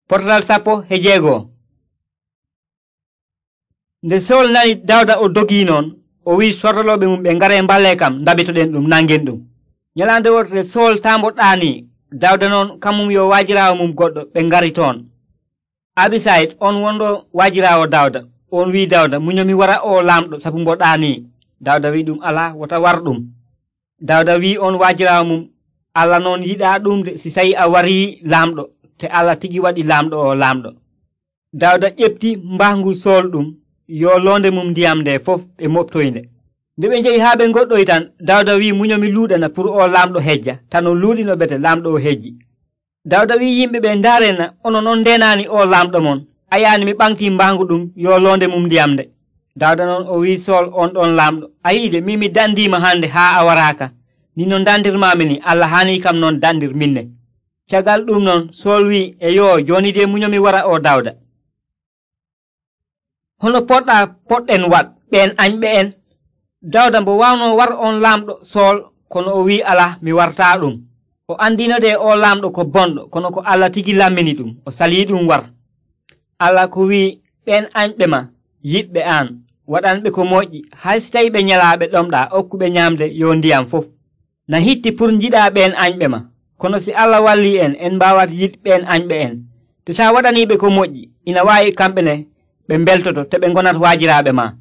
Pototal 16. Nde Sawul nani Dawda o dogii noon, o wi'i sorrolooɓe mum ɓe ngare mballe kam ndabitoɗen ɗum nangen ɗum. Nyalande wotere Sawul taambo ɗaanii, Dawda noon kamum yo waajiraawo mum goɗɗo ɓe ngari toon. Abisayit on wonɗo waajiraawo Dawda, on wi'i Dawda, munyo mi wara o laamɗo sabu mbo ɗaanii. Dawda wi'i ɗum alaa, wota war ɗum. Dawda wi'i on waajiraawo mum, Allah noon yiɗaa ɗum de si tawi a warii laamɗo, te Allah tigi waɗi laamɗo o laamɗo. Dawda ƴefti mbahngu Sawul ɗum, yo loonde mum ndiyam nde fof ɓe moɓtoynde. Nde ɓe njehi haa ɓe ngoɗɗoyi tan, Dawda wi'i munyo mi luuɗana pour o laamɗo hejja, tan o luuɗino bete laamɗo o hejji. Dawda wi'i yimɓe ɓe ndaarena, onon on ndenaani o laamɗo mon, a yaani mi ɓaŋtii mbahngu ɗum yo loonde mum ndiyam nde. Dawda noon o wi'i Sawul on ɗon laamɗo, a yi'i de min mi dandiima hande haa a waraaka, ni no dandirmaami ni Allah haanii kam noon dandir minne. Caggal ɗum noon Sawul wi'i eyo jooni de munyo mi wara o Dawda. Hono poɗɗen waɗ ɓeen añɓe en? Dawda mbo waawno war on laamɗo Sawul, kono o wi'i alaa mi wartaa ɗum. O andino de o laamɗo ko bonɗo, kono ko Allah tigi lammini ɗum, o salii ɗum war. Allah ko wi'i ɓeen añɓe ma yiɗɓe aan, waɗanɓe ko moƴƴi, hay si tawi ɓe nyalaaɓe ɗomɗaa okkuɓe nyaamde yo ndiyam fof. Na hitti pour njiɗaa ɓeen añɓe ma, kono si Allah wallii en mbaawat yiɗ ɓeen añɓe en. Te sa waɗaniiɓe ko moƴƴi, ina waawi kamɓe ne ɓe mbeltoto te ɓe ngonat waajiraaɓe ma.